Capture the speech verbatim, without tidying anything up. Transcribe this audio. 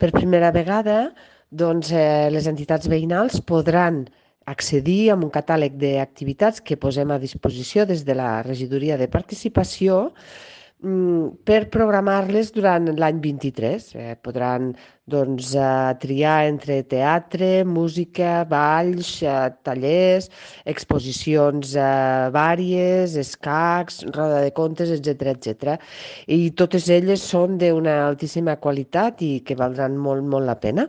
Per primera vegada, doncs, eh, les entitats veïnals podran accedir a un catàleg d'activitats que posem a disposició des de la Regidoria de Participació mm, per programar-les durant l'any vint-i-tres. Eh, podran doncs, eh, triar entre teatre, música, balls, eh, tallers, exposicions eh, vàries, escacs, roda de contes, etcètera, etcètera. I totes elles són d'una altíssima qualitat i que valdran molt, molt la pena.